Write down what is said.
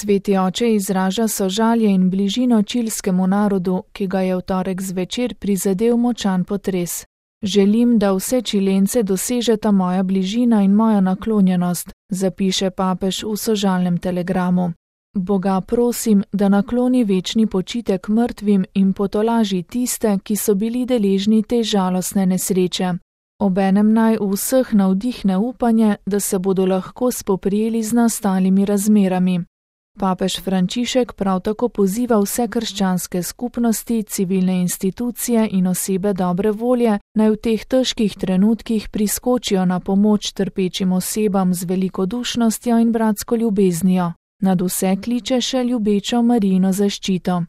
Sveti oče izraža sožalje in bližino čilskemu narodu, ki ga je v torek zvečer prizadel močan potres. Želim, da vse Čilence dosežeta moja bližina in moja naklonjenost, zapiše papež v sožalnem telegramu. Boga prosim, da nakloni večni počitek mrtvim in potolaži tiste, ki so bili deležni te žalostne nesreče. Obenem naj v vseh navdihne upanje, da se bodo lahko spoprijeli z nastalimi razmerami. Papež Frančišek prav tako poziva vse krščanske skupnosti, civilne institucije in osebe dobre volje, naj v teh težkih trenutkih priskočijo na pomoč trpečim osebam z velikodušnostjo in bratsko ljubeznijo. Nad vse kliče še ljubečo Marijino zaščito.